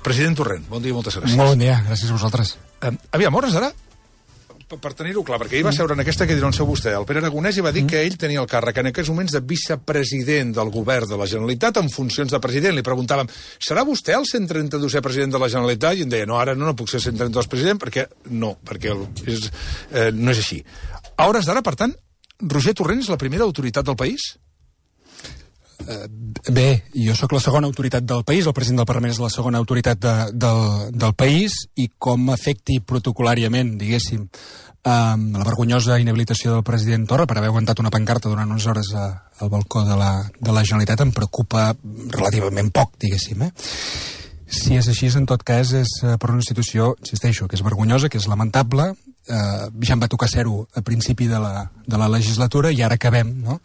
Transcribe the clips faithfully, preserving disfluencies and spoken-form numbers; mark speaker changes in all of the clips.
Speaker 1: President Torrent, bon dia i moltes gràcies.
Speaker 2: Molt bon dia, gràcies a vosaltres.
Speaker 1: Eh, aviam, hores d'ara, per, per tenir-ho clar, perquè ahir va seure en aquesta que dirà on seu vostè, el Pere Aragonès, i va dir mm. que ell tenia el càrrec en aquests moments de vicepresident del govern de la Generalitat en funcions de president. Li preguntàvem, serà vostè el cent trenta-dosè president de la Generalitat? I em deia, no, ara no, no puc ser cent trenta-dos president, perquè no, perquè el, és, eh, no és així. A hores d'ara, per tant, Roger Torrent és la primera autoritat del país?
Speaker 2: Uh, bé, jo sóc la segona autoritat del país, el president del Parlament és la segona autoritat de, del, del país, i com afecti protocolàriament, diguéssim, um, la vergonyosa inhabilitació del president Torra per haver aguantat una pancarta durant unes hores a, al balcó de la, de la Generalitat em preocupa relativament poc, diguéssim, eh? Si és així, en tot cas, és per una institució, insisteixo, que és vergonyosa, que és lamentable. Eh, ja em va tocar ser-ho a principi de la, de la legislatura i ara acabem, no?,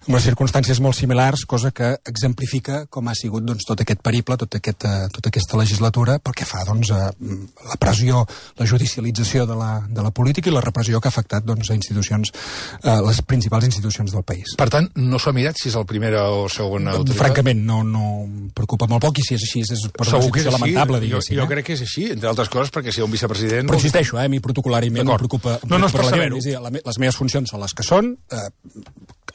Speaker 2: amb les circumstàncies molt similars, cosa que exemplifica com ha sigut, doncs, tot aquest periple, tot aquest, eh, tota aquesta legislatura, pel que fa, doncs, a la pressió, la judicialització de la, de la política i la repressió que ha afectat, doncs, a institucions, eh, les principals institucions del país.
Speaker 1: Per tant, no s'ha mirat si és el primera o segona autoritat?
Speaker 2: Francament, no, no em preocupa molt poc, i si és així, és per una situació lamentable, diguéssim.
Speaker 1: Jo, jo crec que és així, entre altres coses, perquè si hi ha un vicepresident...
Speaker 2: Però insisteixo, eh, a mi protocolàriament em preocupa, em
Speaker 1: no, no,
Speaker 2: preocupa relativament. És a dir, les meves funcions són les que són, eh,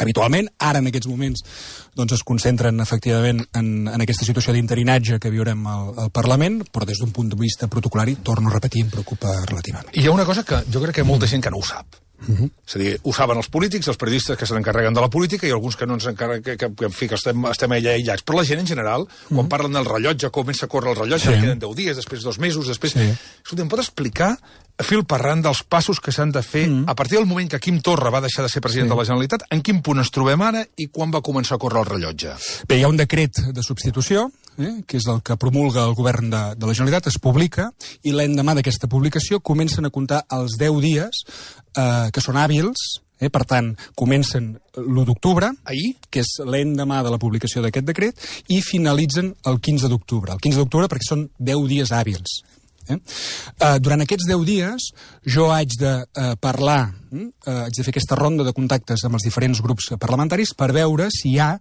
Speaker 2: habitualment, ara en aquests moments doncs es concentren efectivament en, en aquesta situació d'interinatge que viurem al, al Parlament, però des d'un punt de vista protocolari, torno a repetir, em preocupa relativament.
Speaker 1: I hi ha una cosa que jo crec que hi ha molta gent que no ho sap. Uh-huh. És a dir, ho saben els polítics, els periodistes que se n'encarreguen de la política i alguns que no ens encarreguen, que, que, que en fi, que estem, estem allà aïllats. Però la gent en general, uh-huh, quan parlen del rellotge, comença a córrer el rellotge, sí, queden deu dies, després dos mesos, després... Sí. Escolta, em pot explicar a fil parrant dels passos que s'han de fer uh-huh a partir del moment que Quim Torra va deixar de ser president, sí, de la Generalitat, en quin punt ens trobem ara i quan va començar a córrer el rellotge?
Speaker 2: Bé, hi ha un decret de substitució, eh, que és el que promulga el govern de, de la Generalitat, es publica, i l'endemà d'aquesta publicació comencen a comptar els deu dies eh, que són hàbils. Eh, per tant, comencen l'u d'octubre, que és l'endemà de la publicació d'aquest decret, i finalitzen el quinze d'octubre. El quinze d'octubre perquè són deu dies hàbils. Eh? Uh, durant aquests deu dies jo haig de uh, parlar, uh, haig de fer aquesta ronda de contactes amb els diferents grups parlamentaris per veure si hi ha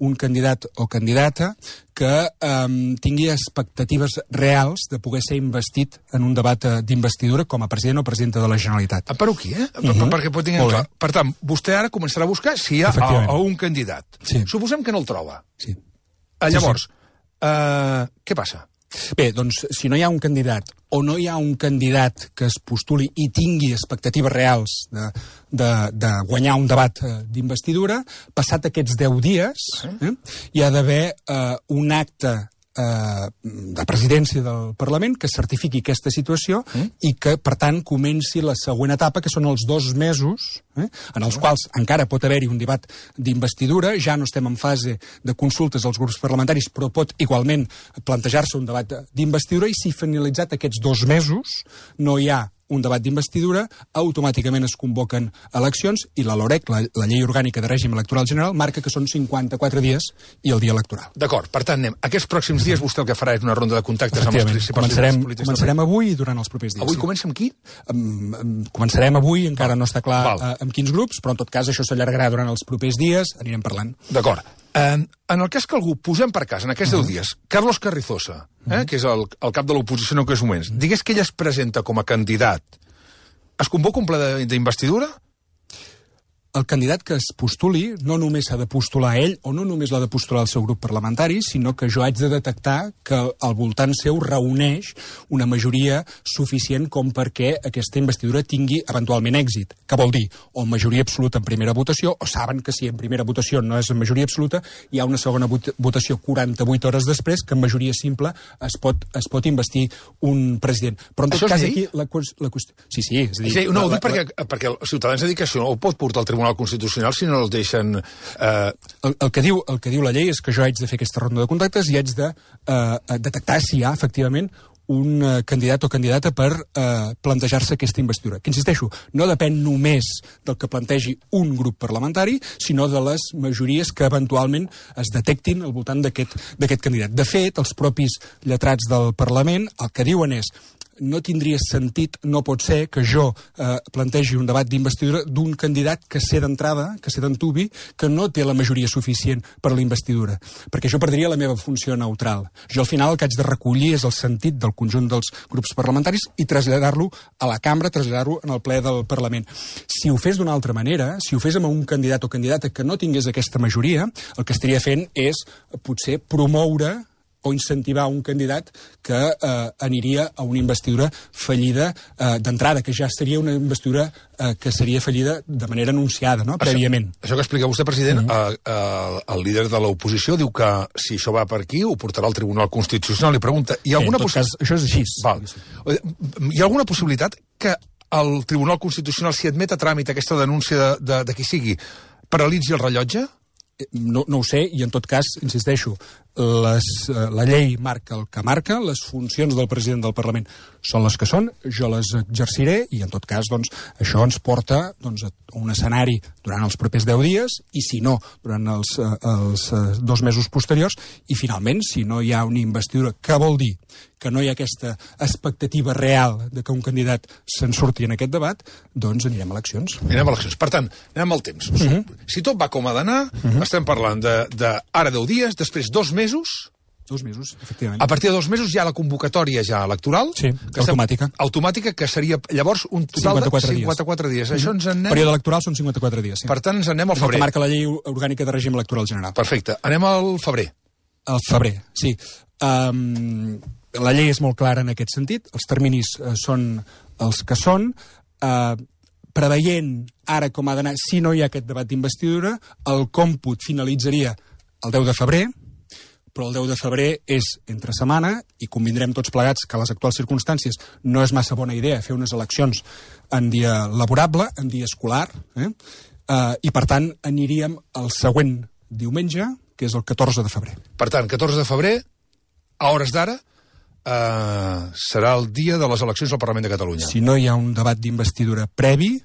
Speaker 2: un candidat o candidata que um, tingui expectatives reals de poder ser investit en un debat uh, d'investidura com a president o presidenta de la Generalitat.
Speaker 1: Ah, per aquí, eh? Uh -huh. Perquè pot tinguem clar. Per tant, vostè ara començarà a buscar si hi ha a, a un candidat.
Speaker 2: Sí.
Speaker 1: Suposem que no el troba.
Speaker 2: Sí.
Speaker 1: Uh, llavors,
Speaker 2: sí, sí.
Speaker 1: Uh, què passa?
Speaker 2: Bé, doncs, si no hi ha un candidat o no hi ha un candidat que es postuli i tingui expectatives reals de, de, de guanyar un debat eh, d'investidura, passat aquests deu dies, eh, hi ha d'haver eh, un acte eh, de presidència del Parlament que certifiqui aquesta situació mm. i que, per tant, comenci la següent etapa, que són els dos mesos, eh, en els quals encara pot haver-hi un debat d'investidura. Ja no estem en fase de consultes als grups parlamentaris, però pot igualment plantejar-se un debat d'investidura, i si finalitzat aquests dos mesos no hi ha un debat d'investidura, automàticament es convoquen eleccions, i la LOREC, la, la Llei Orgànica de Règim Electoral General, marca que són cinquanta-quatre dies i el dia electoral.
Speaker 1: D'acord, per tant, anem. Aquests pròxims dies vostè el que farà és una ronda de contactes amb els principals
Speaker 2: començarem,
Speaker 1: polítics.
Speaker 2: Començarem avui i durant els propers dies.
Speaker 1: Avui
Speaker 2: sí.
Speaker 1: comença amb qui?
Speaker 2: Um, um, començarem avui, encara no està clar uh, amb quins grups, però en tot cas això s'allargarà durant els propers dies, anirem parlant.
Speaker 1: D'acord. En, en el cas que algú, posem per cas, en aquests deu uh -huh. dies, Carlos Carrizosa, eh, uh -huh. que és el, el cap de l'oposició en aquests moments, digués que ell es presenta com a candidat, es convoca un ple d'investidura?
Speaker 2: El candidat que es postuli no només s'ha de postular ell, o no només l'ha de postular el seu grup parlamentari, sinó que jo haig de detectar que al voltant seu reuneix una majoria suficient com perquè aquesta investidura tingui eventualment èxit. Què vol dir? O majoria absoluta en primera votació, o saben que si en primera votació no és en majoria absoluta, hi ha una segona votació quaranta-vuit hores després, que en majoria simple es pot, es pot investir un president. Però en tot
Speaker 1: això
Speaker 2: cas aquí la, la qüestió... Sí, sí, és a dir...
Speaker 1: Sí, no, ho
Speaker 2: la,
Speaker 1: dic perquè, la... perquè els ciutadans han dit que això no ho pot portar al Tribunal Constitucional si no els deixen... Eh...
Speaker 2: El, el, que diu, el que diu la llei és que jo haig de fer aquesta ronda de contactes i haig de eh, detectar si hi ha, efectivament, un uh, candidat o candidata per uh, plantejar-se aquesta investidura. Que, insisteixo, no depèn només del que plantegi un grup parlamentari, sinó de les majories que eventualment es detectin al voltant d'aquest candidat. De fet, els propis lletrats del Parlament el que diuen és no tindria sentit, no pot ser que jo eh, plantegi un debat d'investidura d'un candidat que sé d'entrada, que sé d'antubi, que no té la majoria suficient per a la investidura, perquè això perdria la meva funció neutral. Jo al final el que haig de recollir és el sentit del conjunt dels grups parlamentaris i traslladar-lo a la cambra, traslladar-lo en el ple del Parlament. Si ho fes d'una altra manera, si ho fes amb un candidat o candidata que no tingués aquesta majoria, el que estaria fent és potser promoure o incentivar un candidat que eh, aniria a una investidura fallida eh, d'entrada, que ja seria una investidura eh, que seria fallida de manera anunciada, no?, prèviament.
Speaker 1: Això, això que explica vostè, president, mm -hmm. eh, eh, el líder de l'oposició diu que si això va per aquí ho portarà al Tribunal Constitucional. Li pregunta, hi ha alguna
Speaker 2: sí, en tot cas, això és així.
Speaker 1: Val. Hi ha alguna possibilitat que el Tribunal Constitucional, si admet a tràmit aquesta denúncia de, de, de qui sigui, paralitzi el rellotge?
Speaker 2: No, no ho sé, i en tot cas, insisteixo, les, la llei marca el que marca, les funcions del president del Parlament són les que són, jo les exerciré, i en tot cas, doncs, això ens porta doncs, a un escenari durant els propers deu dies, i si no, durant els, els dos mesos posteriors, i finalment, si no hi ha una investidura, què vol dir? Que no hi ha aquesta expectativa real de que un candidat se'n surti en aquest debat, doncs anirem a eleccions.
Speaker 1: Anirem a eleccions. Per tant, anem al temps. Uh -huh. Si tot va com ha d'anar, uh -huh. estem parlant de, de ara deu dies, després dos mesos...
Speaker 2: Dos mesos, efectivament.
Speaker 1: A partir de dos mesos hi ha la convocatòria ja electoral.
Speaker 2: Sí,
Speaker 1: que
Speaker 2: automàtica.
Speaker 1: Estem, automàtica, que seria llavors un total de cinquanta-quatre dies.
Speaker 2: dies.
Speaker 1: Això ens en anem...
Speaker 2: El període electoral són cinquanta-quatre dies, sí.
Speaker 1: Per tant, ens en anem al febrer.
Speaker 2: És el que marca la llei orgànica de règim electoral general.
Speaker 1: Perfecte. Anem al febrer.
Speaker 2: Al febrer, sí. Um, la llei és molt clara en aquest sentit. Els terminis uh, són els que són. Uh, preveient ara com ha d'anar, si no hi ha aquest debat d'investidura, el còmput finalitzaria el deu de febrer, però el deu de febrer és entre setmana i convindrem tots plegats que a les actuals circumstàncies no és massa bona idea fer unes eleccions en dia laborable, en dia escolar, eh? Uh, i per tant aniríem al següent diumenge, que és el catorze de febrer.
Speaker 1: Per tant, catorze de febrer, a hores d'ara, uh, serà el dia de les eleccions al Parlament de Catalunya.
Speaker 2: Si no hi ha un debat d'investidura previ,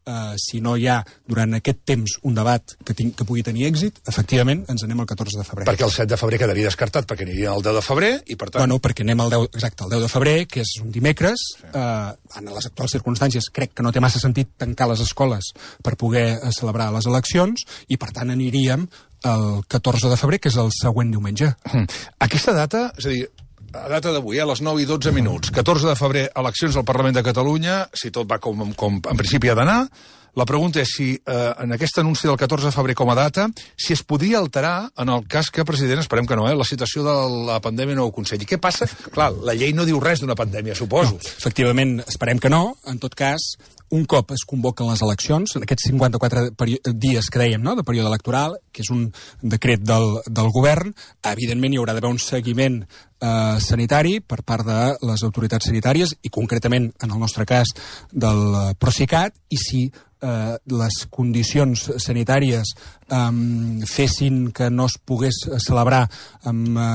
Speaker 2: Uh, si no hi ha durant aquest temps un debat que, tinc, que pugui tenir èxit, efectivament ens anem al catorze de febrer.
Speaker 1: Perquè el set de febrer quedaria descartat, perquè aniria el deu de febrer, i per tant...
Speaker 2: Bueno, perquè anem al deu, exacte, el deu de febrer, que és un dimecres, sí. uh, en les actuals circumstàncies crec que no té massa sentit tancar les escoles per poder uh, celebrar les eleccions, i per tant aniríem el catorze de febrer, que és el següent diumenge.
Speaker 1: Mm. Aquesta data, és a dir, a data d'avui, a les nou i dotze minuts, catorze de febrer, eleccions al Parlament de Catalunya, si tot va com, com en principi ha d'anar. La pregunta és si eh, en aquest anunci del catorze de febrer com a data, si es podria alterar en el cas que, president, esperem que no, eh, la situació de la pandèmia no ho aconselli. Què passa? Clar, la llei no diu res d'una pandèmia, suposo.
Speaker 2: No, efectivament, esperem que no. En tot cas, un cop es convoquen les eleccions, en aquests cinquanta-quatre dies que dèiem, no?, de període electoral, que és un decret del, del govern, evidentment hi haurà d'haver un seguiment eh, sanitari per part de les autoritats sanitàries i concretament, en el nostre cas, del Procicat, i si eh, les condicions sanitàries eh, fessin que no es pogués celebrar amb eh,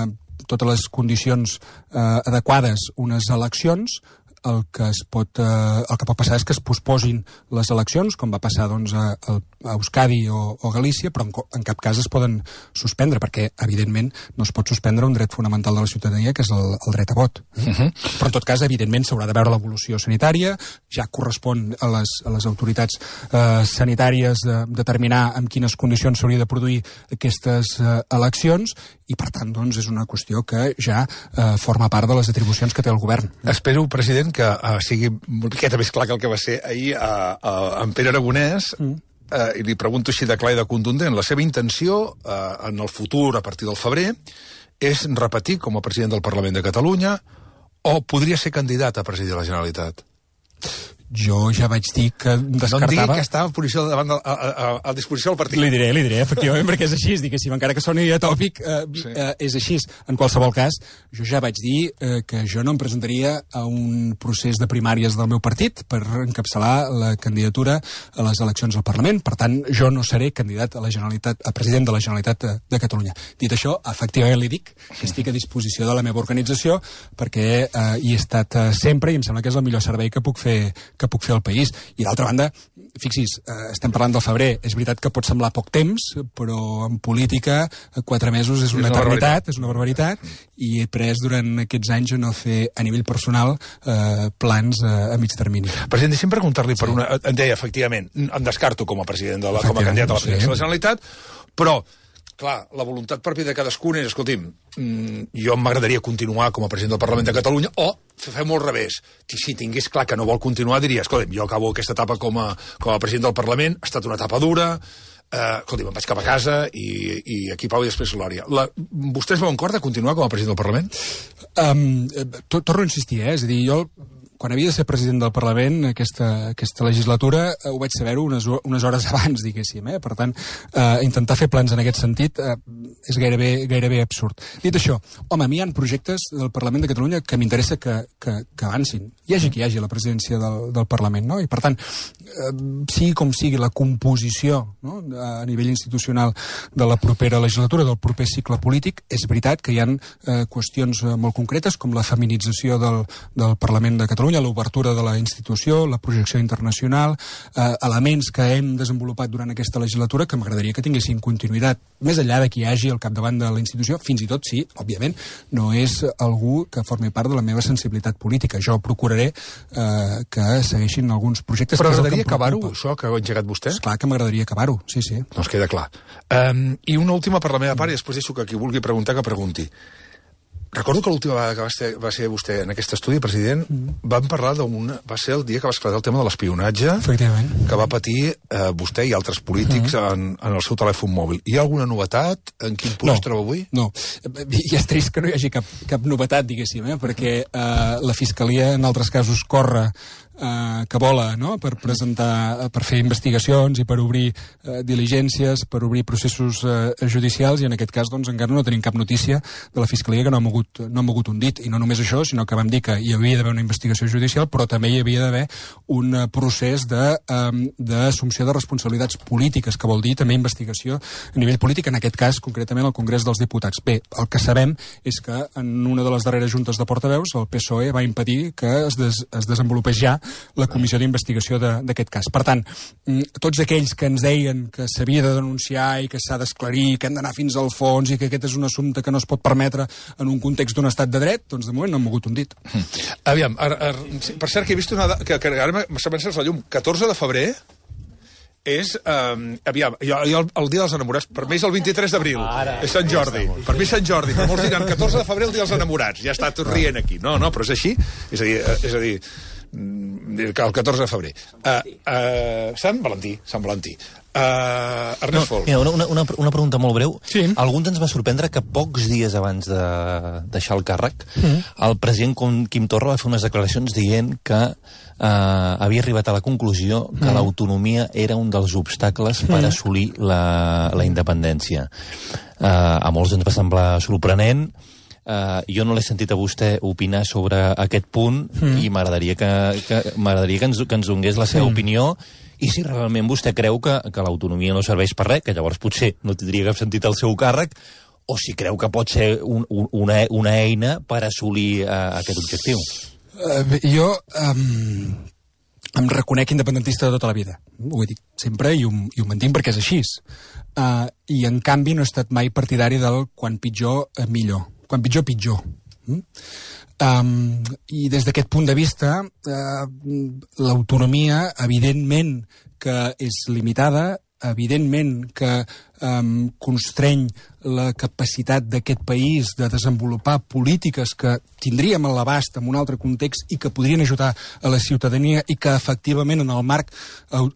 Speaker 2: totes les condicions eh, adequades unes eleccions, el que es pot, eh, el que pot passar és que es posposin les eleccions, com va passar doncs, a, a Euskadi o, o Galícia, però en, en cap cas es poden suspendre, perquè, evidentment, no es pot suspendre un dret fonamental de la ciutadania, que és el, el dret a vot. Uh -huh. Però, en tot cas, evidentment, s'haurà de veure l'evolució sanitària, ja correspon a les, a les autoritats eh, sanitàries de, determinar en quines condicions s'hauria de produir aquestes eh, eleccions, i, per tant, doncs, és una qüestió que ja eh, forma part de les atribucions que té el govern.
Speaker 1: Espero, president, que uh, sigui una miqueta més clar que el que va ser ahir uh, uh, en Pere Aragonès, mm. uh, i li pregunto així de clar i de contundent. La seva intenció uh, en el futur, a partir del febrer, és repetir com a president del Parlament de Catalunya o podria ser candidat a presidir la Generalitat?
Speaker 2: Jo ja vaig dir que descartava...
Speaker 1: No em digui que estava a, posició davant de, a, a, a disposició del partit.
Speaker 2: Li diré, li diré, efectivament, perquè és així, diguéssim, encara que soni atòpic, eh, sí. eh, és així. En qualsevol cas, jo ja vaig dir eh, que jo no em presentaria a un procés de primàries del meu partit per encapçalar la candidatura a les eleccions al Parlament. Per tant, jo no seré candidat a la Generalitat, a president de la Generalitat de, de Catalunya. Dit això, efectivament li dic que estic a disposició de la meva organització perquè eh, hi he estat eh, sempre i em sembla que és el millor servei que puc fer que puc fer al país. I d'altra banda, fixis, eh, estem parlant del febrer, és veritat que pot semblar poc temps, però en política quatre mesos és una, és una eternitat, és una barbaritat, i he pres durant aquests anys a no fer a nivell personal eh, plans eh, a mig termini.
Speaker 1: President, deixem preguntar-li per una... Em deia, efectivament, em descarto com a president de la, com a candidat a la presidència sí. de la Generalitat, però, clar, la voluntat pròpia de cadascun és, escolti'm, jo m'agradaria continuar com a president del Parlament de Catalunya, o fem-ho al revés. Si tingués clar que no vol continuar, diria, escolti'm, jo acabo aquesta etapa com a, com a president del Parlament, ha estat una etapa dura, eh, escolti'm, em vaig cap a casa i, i aquí pau i després glòria. La, vostès veuen cor de continuar com a president del Parlament?
Speaker 2: Um, to, torno a insistir, eh? És a dir, jo... Quan havia de ser president del Parlament, aquesta, aquesta legislatura, eh, ho vaig saber-ho unes, unes hores abans, diguéssim. Eh? Per tant, eh, intentar fer plans en aquest sentit eh, és gairebé, gairebé absurd. Dit això, home, a mi hi ha projectes del Parlament de Catalunya que m'interessa que, que, que avancin. Hi hagi qui hi hagi la presidència del, del Parlament, no? I per tant, eh, sigui com sigui la composició, no? A nivell institucional de la propera legislatura, del proper cicle polític, és veritat que hi ha eh, qüestions molt concretes, com la feminització del, del Parlament de Catalunya, l'obertura de la institució, la projecció internacional, eh, elements que hem desenvolupat durant aquesta legislatura que m'agradaria que tinguessin continuïtat, més enllà de qui hi hagi al capdavant de la institució, fins i tot si, òbviament, no és algú que formi part de la meva sensibilitat política. Jo procuraré eh, que segueixin alguns projectes...
Speaker 1: Però m'agradaria acabar-ho, això que ha engegat vostè?
Speaker 2: Esclar que m'agradaria acabar-ho, sí, sí.
Speaker 1: Doncs queda clar. Um, I una última per la meva part, i després deixo que qui vulgui preguntar, que pregunti. Recordo que l'última vegada que va ser, va ser vostè en aquest estudi, president, mm. vam parlar d'un... Va ser el dia que va esclatar el tema de l'espionatge que va patir eh, vostè i altres polítics mm. en, en el seu telèfon mòbil. Hi ha alguna novetat? En quin punt
Speaker 2: no,
Speaker 1: es troba avui?
Speaker 2: No, i és trist que no hi hagi cap, cap novetat, diguéssim, eh? Perquè eh, la Fiscalia en altres casos corre eh, que vola, no?, per presentar, per fer investigacions i per obrir eh, diligències, per obrir processos eh, judicials, i en aquest cas, doncs, encara no tenim cap notícia de la Fiscalia que no ha mogut, no ha mogut un dit. I no només això, sinó que vam dir que hi havia d'haver una investigació judicial, però també hi havia d'haver un procés d'assumpció de, de responsabilitats polítiques, que vol dir també investigació a nivell polític, en aquest cas, concretament, al Congrés dels Diputats. Bé, el que sabem és que en una de les darreres juntes de portaveus el P S O E va impedir que es, des, es desenvolupés ja la comissió d'investigació d'aquest cas. Per tant, tots aquells que ens deien que s'havia de denunciar i que s'ha d'esclarir, que hem d'anar fins al fons i que aquest és un assumpte que no es pot permetre en un context d'un estat de dret, doncs de moment no han mogut un dit.
Speaker 1: Aviam, ar, ar, per cert que he vist una... que, que ara m'ha pensat la llum. catorze de febrer és, um, aviam, jo, jo el, el dia dels enamorats, per mi és el vint-i-tres d'abril, és Sant Jordi, per mi és Sant Jordi, però molts diran catorze de febrer el dia dels enamorats, ja està tot rient aquí, no, no, però és així, és a dir, és a dir, el catorze de febrer. Uh, uh, Sant Valentí, Sant Valentí. Uh, Ernest Fol.
Speaker 3: No, una, una, una pregunta molt breu.
Speaker 2: Sí.
Speaker 3: Alguns ens va sorprendre que pocs dies abans de deixar el càrrec, mm. el president Quim Torra va fer unes declaracions dient que uh, havia arribat a la conclusió que mm. l'autonomia era un dels obstacles mm. per assolir la, la independència. Uh, a molts ens va semblar sorprenent. Uh, jo no l'he sentit a vostè opinar sobre aquest punt mm. i m'agradaria que, que, m'agradaria que, ens, que ens donés la seva mm. opinió, i si realment vostè creu que, que l'autonomia no serveix per res, que llavors potser no tindria cap sentit el seu càrrec, o si creu que pot ser un, un, una, una eina per assolir uh, aquest objectiu.
Speaker 2: Uh, jo um, em reconec independentista de tota la vida. Ho he dit sempre i ho, i ho mantinc perquè és així. Uh, I, en canvi, no he estat mai partidari del quan pitjor, eh, millor. Quan pitjor, pitjor. Mm? Um, I des d'aquest punt de vista, uh, l'autonomia, evidentment que és limitada, evidentment que um, constreny la capacitat d'aquest país de desenvolupar polítiques que tindríem a l'abast en un altre context i que podrien ajudar a la ciutadania i que efectivament en el marc uh,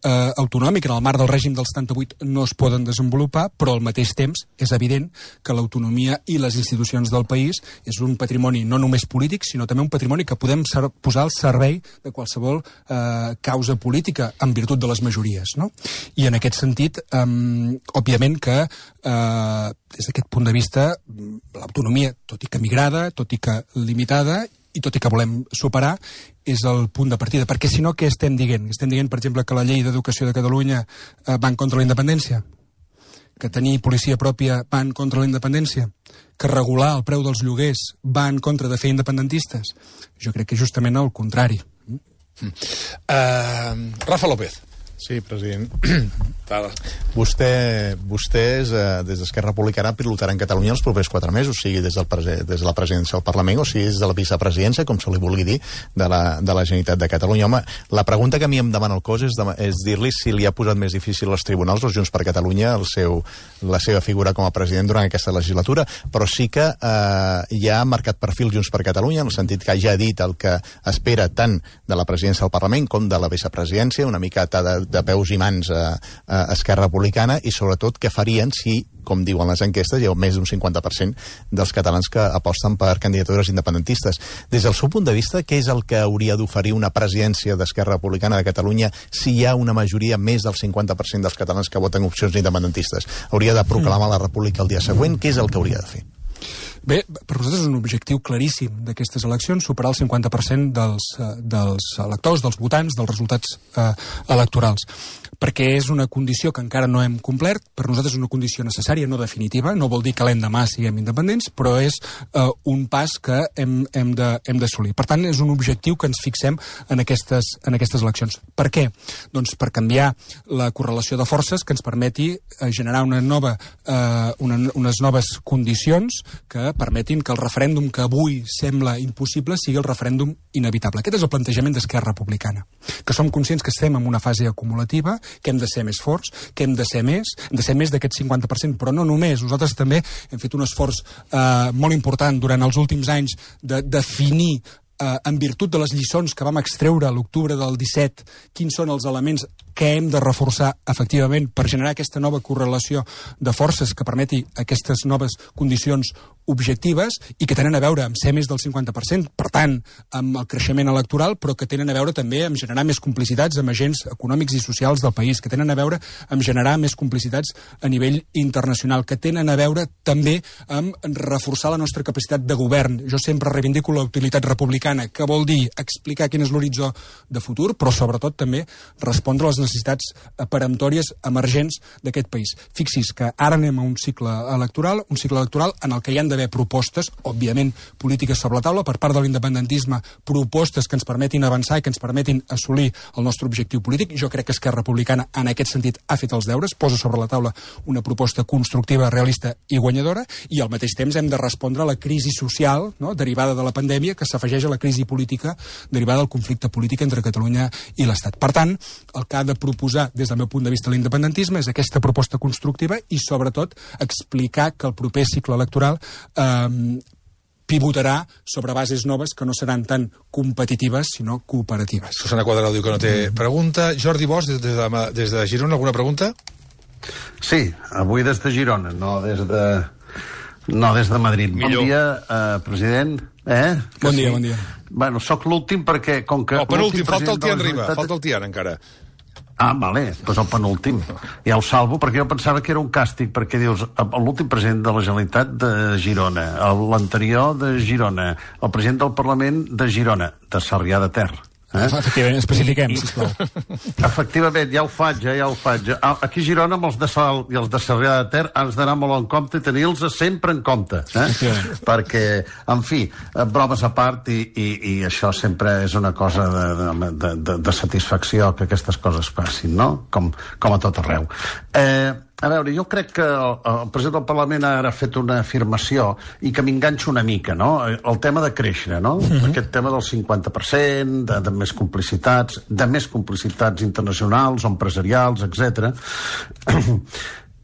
Speaker 2: autonòmic, en el marc del règim del setanta-vuit no es poden desenvolupar, però al mateix temps és evident que l'autonomia i les institucions del país és un patrimoni no només polític, sinó també un patrimoni que podem posar al servei de qualsevol uh, causa política en virtut de les majories, no? I en aquest sentit, um, òbviament que eh, des d'aquest punt de vista l'autonomia, tot i que migrada, tot i que limitada i tot i que volem superar, és el punt de partida. Perquè si no, què estem dient? Estem dient, per exemple, que la llei d'educació de Catalunya eh, va en contra la independència? Que tenir policia pròpia va en contra la independència? Que regular el preu dels lloguers va en contra de fer independentistes? Jo crec que justament el contrari.
Speaker 1: Uh, Rafa López.
Speaker 4: Sí, president.
Speaker 1: Tal.
Speaker 4: Vostè, vostès, eh, des d'Esquerra Republicana, pilotaran Catalunya els propers quatre mesos, sigui des, del prese, des de la presidència del Parlament o sigui des de la vicepresidència, com se li vulgui dir, de la, de la Generalitat de Catalunya. Home, la pregunta que a mi em demana el cos és, de, és dir-li si li ha posat més difícil als tribunals, els Junts per Catalunya, el seu, la seva figura com a president durant aquesta legislatura, però sí que eh, ja ha marcat perfil Junts per Catalunya, en el sentit que ja ha dit el que espera tant de la presidència del Parlament com de la vicepresidència, una mica de, de peus i mans a, a Esquerra Republicana, i sobretot què farien si, com diuen les enquestes, hi ha més d'un cinquanta per cent dels catalans que aposten per candidatures independentistes. Des del seu punt de vista, què és el que hauria d'oferir una presidència d'Esquerra Republicana de Catalunya si hi ha una majoria més del cinquanta per cent dels catalans que voten opcions independentistes? Hauria de proclamar la república el dia següent? Què és el que hauria de fer?
Speaker 2: Bé, per nosaltres és un objectiu claríssim d'aquestes eleccions, superar el cinquanta per cent dels, dels electors, dels votants, dels resultats eh, electorals. Perquè és una condició que encara no hem complert, per nosaltres és una condició necessària, no definitiva, no vol dir que l'endemà siguem independents, però és eh, un pas que hem, hem de, hem d'assolir. Per tant, és un objectiu que ens fixem en aquestes, en aquestes eleccions. Per què? Doncs per canviar la correlació de forces que ens permeti eh, generar una nova, eh, una, unes noves condicions que permetin que el referèndum que avui sembla impossible sigui el referèndum inevitable. Aquest és el plantejament d'Esquerra Republicana, que som conscients que estem en una fase acumulativa, que hem de ser més forts, que hem de ser més, hem de ser més d'aquest cinquanta per cent, però no només. Nosaltres també hem fet un esforç eh, molt important durant els últims anys de definir eh, en virtut de les lliçons que vam extreure a l'octubre del disset, quins són els elements que hem de reforçar efectivament per generar aquesta nova correlació de forces que permeti aquestes noves condicions objectives i que tenen a veure amb ser més del cinquanta per cent, per tant, amb el creixement electoral, però que tenen a veure també amb generar més complicitats amb agents econòmics i socials del país, que tenen a veure amb generar més complicitats a nivell internacional, que tenen a veure també amb reforçar la nostra capacitat de govern. Jo sempre reivindico la utilitat republicana, que vol dir explicar quin és l'horitzó de futur, però sobretot també respondre a les necessitats peremptòries emergents d'aquest país. Fixi's que ara anem a un cicle electoral, un cicle electoral en el que hi han d'haver propostes, òbviament polítiques sobre la taula, per part de l'independentisme, propostes que ens permetin avançar i que ens permetin assolir el nostre objectiu polític. Jo crec que Esquerra Republicana en aquest sentit ha fet els deures, posa sobre la taula una proposta constructiva, realista i guanyadora, i al mateix temps hem de respondre a la crisi social, no?, derivada de la pandèmia, que s'afegeix a la crisi política derivada del conflicte polític entre Catalunya i l'Estat. Per tant, el que ha de proposar des del meu punt de vista l'independentisme és aquesta proposta constructiva i sobretot explicar que el proper cicle electoral eh, pivotarà sobre bases noves que no seran tan competitives sinó cooperatives.
Speaker 1: Susana Quadrado diu que no té pregunta. Jordi Bosch, des de, des de Girona, alguna pregunta?
Speaker 5: Sí, avui des de Girona, no des de, no des de Madrid.
Speaker 1: Millor.
Speaker 5: Bon dia, eh, president. Eh?
Speaker 2: Que bon dia, sí? Bon dia.
Speaker 5: Bueno, soc l'últim perquè... Com que
Speaker 1: no, penúltim, falta el Tian Riba,
Speaker 5: Generalitat...
Speaker 1: falta el Tian encara.
Speaker 5: Ah, vale, doncs el penúltim. Ja ho salvo, perquè jo pensava que era un càstig, perquè dius, l'últim president de la Generalitat de Girona, l'anterior de Girona, el president del Parlament de Girona, de Sarrià de Ter. Eh?
Speaker 2: Efectivament, especifiquem, sisplau.
Speaker 5: Efectivament, ja ho faig, eh, ja ho faig. Aquí a Girona, amb els de Sal i els de Sarrià de Ter, has d'anar molt en compte i tenir-los sempre en compte. Eh? Perquè, en fi, bromes a part, i, i, i això sempre és una cosa de, de, de, de satisfacció que aquestes coses passin, no? Com, com a tot arreu. Eh... A veure, jo crec que el, el president del Parlament ara ha fet una afirmació i que m'enganxa una mica, no? El tema de créixer, no? Uh-huh. Aquest tema del cinquanta per cent, de, de més complicitats, de més complicitats internacionals o empresarials, etcètera.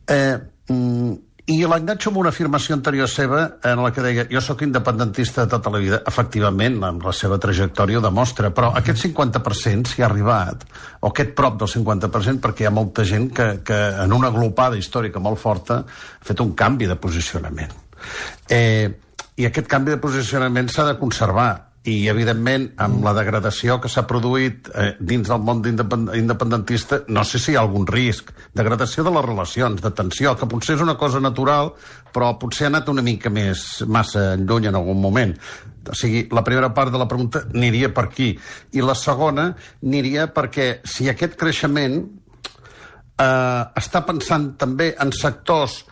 Speaker 5: eh, mm, I l'enganxo amb una afirmació anterior seva en la que deia, jo sóc independentista de tota la vida. Efectivament, amb la seva trajectòria ho demostra, però aquest cinquanta per cent s'hi ha arribat, o aquest prop del cinquanta per cent, perquè hi ha molta gent que, que en una aglopada històrica molt forta ha fet un canvi de posicionament. Eh, I aquest canvi de posicionament s'ha de conservar. I, evidentment, amb la degradació que s'ha produït eh, dins del món independentista, no sé si hi ha algun risc. Degradació de les relacions, de tensió, que potser és una cosa natural, però potser ha anat una mica més massa lluny en algun moment. O sigui, la primera part de la pregunta aniria per aquí. I la segona aniria perquè si aquest creixement eh, està pensant també en sectors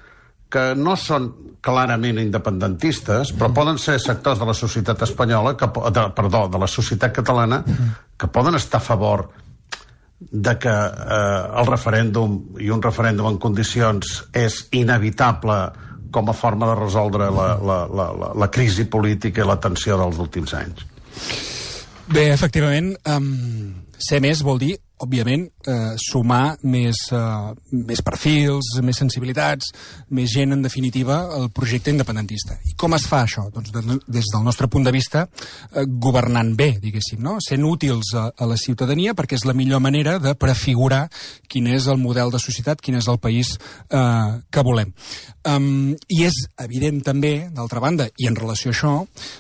Speaker 5: que no són clarament independentistes, però poden ser sectors de la societat espanyola, que, de, perdó, de la societat catalana, que poden estar a favor de que eh, el referèndum i un referèndum en condicions és inevitable com a forma de resoldre la, la, la, la, la crisi política i la tensió dels últims anys?
Speaker 2: Bé, efectivament, um, ser més vol dir, òbviament, eh, sumar més, eh, més perfils, més sensibilitats, més gent, en definitiva, al projecte independentista. I com es fa això? Doncs de, des del nostre punt de vista, eh, governant bé, diguéssim, no? Sent útils a, a la ciutadania, perquè és la millor manera de prefigurar quin és el model de societat, quin és el país eh, que volem. Um, I és evident també, d'altra banda, i en relació a això,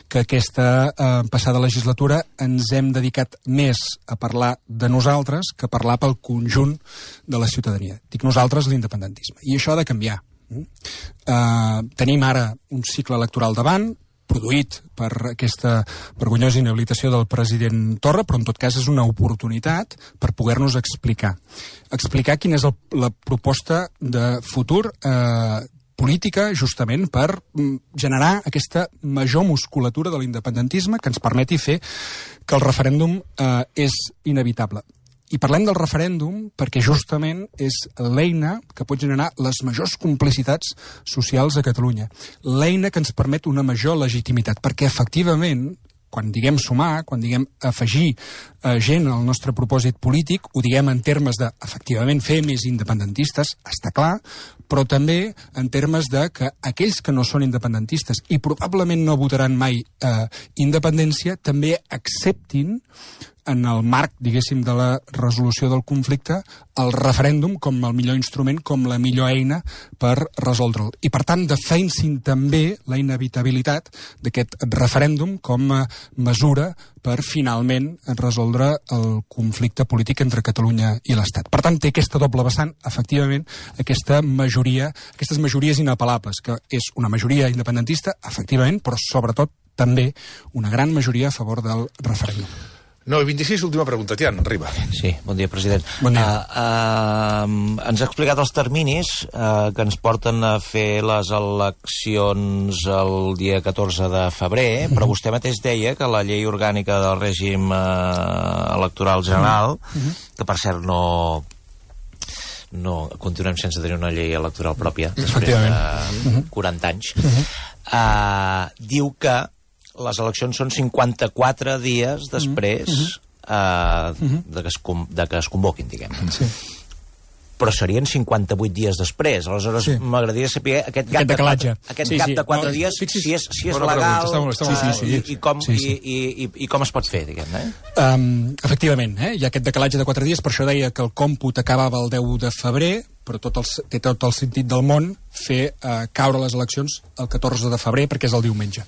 Speaker 2: que aquesta eh, passada legislatura ens hem dedicat més a parlar de nosaltres que parlar pel conjunt de la ciutadania. Dic nosaltres, l'independentisme. I això ha de canviar. Uh, tenim ara un cicle electoral davant, produït per aquesta vergonyosa inhabilitació del president Torra, però en tot cas és una oportunitat per poder-nos explicar. Explicar quina és el, la proposta de futur eh, política, justament per generar aquesta major musculatura de l'independentisme que ens permeti fer que el referèndum eh, és inevitable. I parlem del referèndum perquè justament és l'eina que pot generar les majors complicitats socials a Catalunya. L'eina que ens permet una major legitimitat, perquè efectivament, quan diguem sumar, quan diguem afegir eh, gent al nostre propòsit polític, ho diguem en termes de, efectivament, fer més independentistes, està clar, però també en termes de que aquells que no són independentistes i probablement no votaran mai eh, independència, també acceptin en el marc, diguéssim, de la resolució del conflicte, el referèndum com el millor instrument, com la millor eina per resoldre'l. I, per tant, defensin també la inevitabilitat d'aquest referèndum com a mesura per, finalment, resoldre el conflicte polític entre Catalunya i l'Estat. Per tant, té aquesta doble vessant, efectivament, aquesta majoria, aquestes majories inapel·lables, que és una majoria independentista, efectivament, però, sobretot, també una gran majoria a favor del referèndum.
Speaker 1: nou i vint-i-sis, última pregunta. Tian, arriba.
Speaker 3: Sí, bon dia, president.
Speaker 2: Bon dia.
Speaker 3: Uh, uh, ens ha explicat els terminis uh, que ens porten a fer les eleccions el dia catorze de febrer, mm-hmm. però vostè mateix deia que la llei orgànica del règim uh, electoral general, mm-hmm. que per cert no... no continuem sense tenir una llei electoral pròpia després de quaranta anys, mm-hmm. uh, diu que les eleccions són cinquanta-quatre dies després mm-hmm. uh, de, que es, de que es convoquin, diguem. Sí. Però serien cinquanta-vuit dies després. Aleshores, sí. m'agradaria saber aquest gap,
Speaker 2: aquest de, quatre,
Speaker 3: aquest
Speaker 2: sí,
Speaker 3: gap
Speaker 2: sí.
Speaker 3: de quatre
Speaker 2: no,
Speaker 3: dies,
Speaker 2: fixis,
Speaker 3: si és, si és
Speaker 1: bona
Speaker 3: legal,
Speaker 1: pregunta, està molt, està molt,
Speaker 3: uh,
Speaker 1: sí, sí.
Speaker 3: I, i, com,
Speaker 2: sí, sí.
Speaker 3: I, i, i, i com es pot fer, diguem, eh?
Speaker 2: Um, efectivament, eh? Hi ha aquest decalatge de quatre dies, per això deia que el còmput acabava el deu de febrer, però tot el, té tot el sentit del món fer eh, caure les eleccions el catorze de febrer, perquè és el diumenge.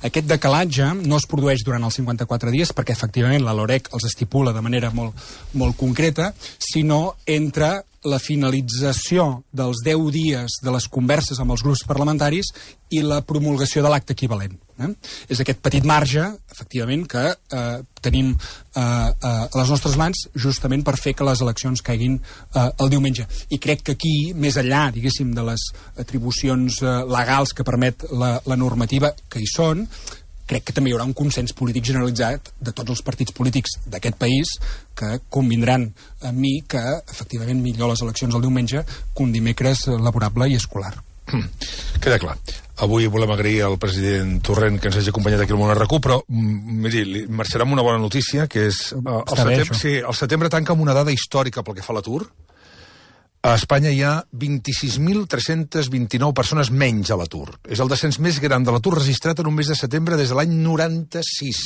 Speaker 2: Aquest decalatge no es produeix durant els cinquanta-quatre dies, perquè efectivament la LOREC els estipula de manera molt, molt concreta, sinó entre la finalització dels deu dies de les converses amb els grups parlamentaris i la promulgació de l'acte equivalent. Eh? És aquest petit marge, efectivament, que eh, tenim eh, eh, a les nostres mans justament per fer que les eleccions caiguin eh, el diumenge. I crec que aquí, més enllà, diguéssim, de les atribucions eh, legals que permet la, la normativa que hi són, crec que també hi haurà un consens polític generalitzat de tots els partits polítics d'aquest país que convindran amb mi que, efectivament, millor les eleccions el diumenge que un dimecres laborable i escolar.
Speaker 1: Mm. Queda clar. Avui volem agrair al president Torrent que ens hagi acompanyat aquí al Món R Q, però, miri, li marxarà amb una bona notícia, que és... Uh, el, setembre, sí, el setembre tanca amb una dada històrica pel que fa a l'atur. A Espanya hi ha vint-i-sis mil tres-cents vint-i-nou persones menys a l'atur. És el descens més gran de l'atur registrat en un mes de setembre des de l'any noranta-sis.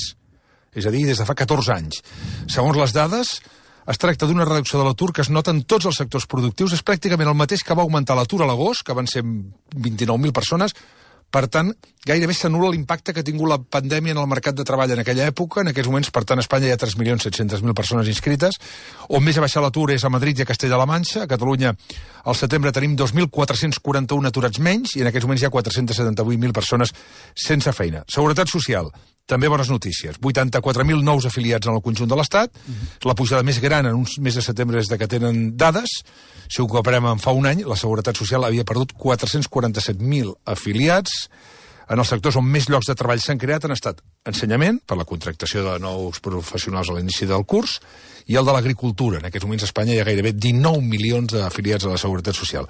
Speaker 1: És a dir, des de fa catorze anys. Segons les dades, es tracta d'una reducció de l'atur que es nota en tots els sectors productius. És pràcticament el mateix que va augmentar l'atur a l'agost, que van ser vint-i-nou mil persones. Per tant, gairebé s'anul·la l'impacte que ha tingut la pandèmia en el mercat de treball en aquella època. En aquests moments, per tant, a Espanya hi ha tres milions set-cents mil persones inscrites. On més ha baixat l'atur és a Madrid i a Castella-La Manxa. A Catalunya, al setembre, tenim dos mil quatre-cents quaranta-un aturats menys i en aquests moments hi ha quatre-cents setanta-vuit mil persones sense feina. Seguretat social, també bones notícies. vuitanta-quatre mil nous afiliats en el conjunt de l'Estat. Mm-hmm. La pujada més gran en un mes de setembre és de que tenen dades. Si ho comparem amb fa un any, la Seguretat Social havia perdut quatre-cents quaranta-set mil afiliats. en els sectors on més llocs de treball s'han creat han estat ensenyament, per la contractació de nous professionals a l'inici del curs, i el de l'agricultura. En aquests moments a Espanya hi ha gairebé dinou milions d'afiliats a la Seguretat Social.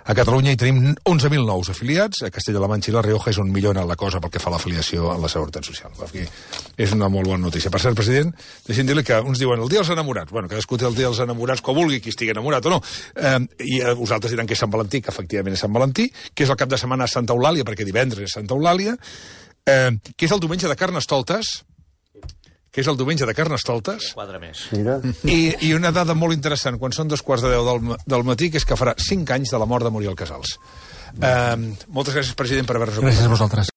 Speaker 1: A Catalunya hi tenim onze mil nous afiliats, a Castella-La Manxa i La Rioja és on millora la cosa pel que fa a l'afiliació a la Seguretat Social. Aquí és una molt bona notícia. Per cert, president, deixem dir-li que uns diuen el dia dels enamorats. Bueno, cadascú té el dia dels enamorats com vulgui, qui estigui enamorat o no. Eh, I eh, vosaltres diran que és Sant Valentí, que efectivament és Sant Valentí, que és el cap de setmana a Santa Eulàlia, perquè divendres és Santa Eulàlia, eh, que és el diumenge de Carnestoltes, que és el diumenge de Carnestoltes.
Speaker 3: Quadre més.
Speaker 5: Mira.
Speaker 1: I, I una dada molt interessant, quan són dos quarts de deu del, del matí, que és que farà cinc anys de la mort de Muriel Casals. Eh, moltes gràcies, president, per haver-nos acompanyat.
Speaker 2: Gràcies a vosaltres.